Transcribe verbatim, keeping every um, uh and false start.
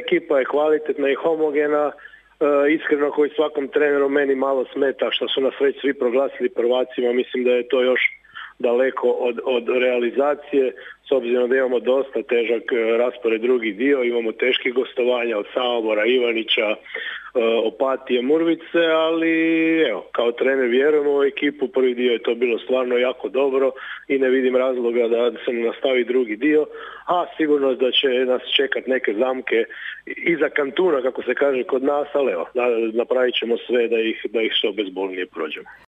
ekipa je kvalitetna i homogena, e, iskreno koji svakom treneru meni malo smeta što su nas već svi proglasili prvacima, mislim da je to još daleko od, od realizacije, s obzirom da imamo dosta težak raspored drugi dio, imamo teških gostovanja od Samobora, Ivanića, Opatije, Murvice, ali evo, kao trener vjerujemo u ekipu, prvi dio je to bilo stvarno jako dobro i ne vidim razloga da se nastavi drugi dio, a sigurno da će nas čekat neke zamke iza kantuna, kako se kaže kod nas, ali evo, napravit ćemo sve da ih, da ih što bezbolnije prođemo.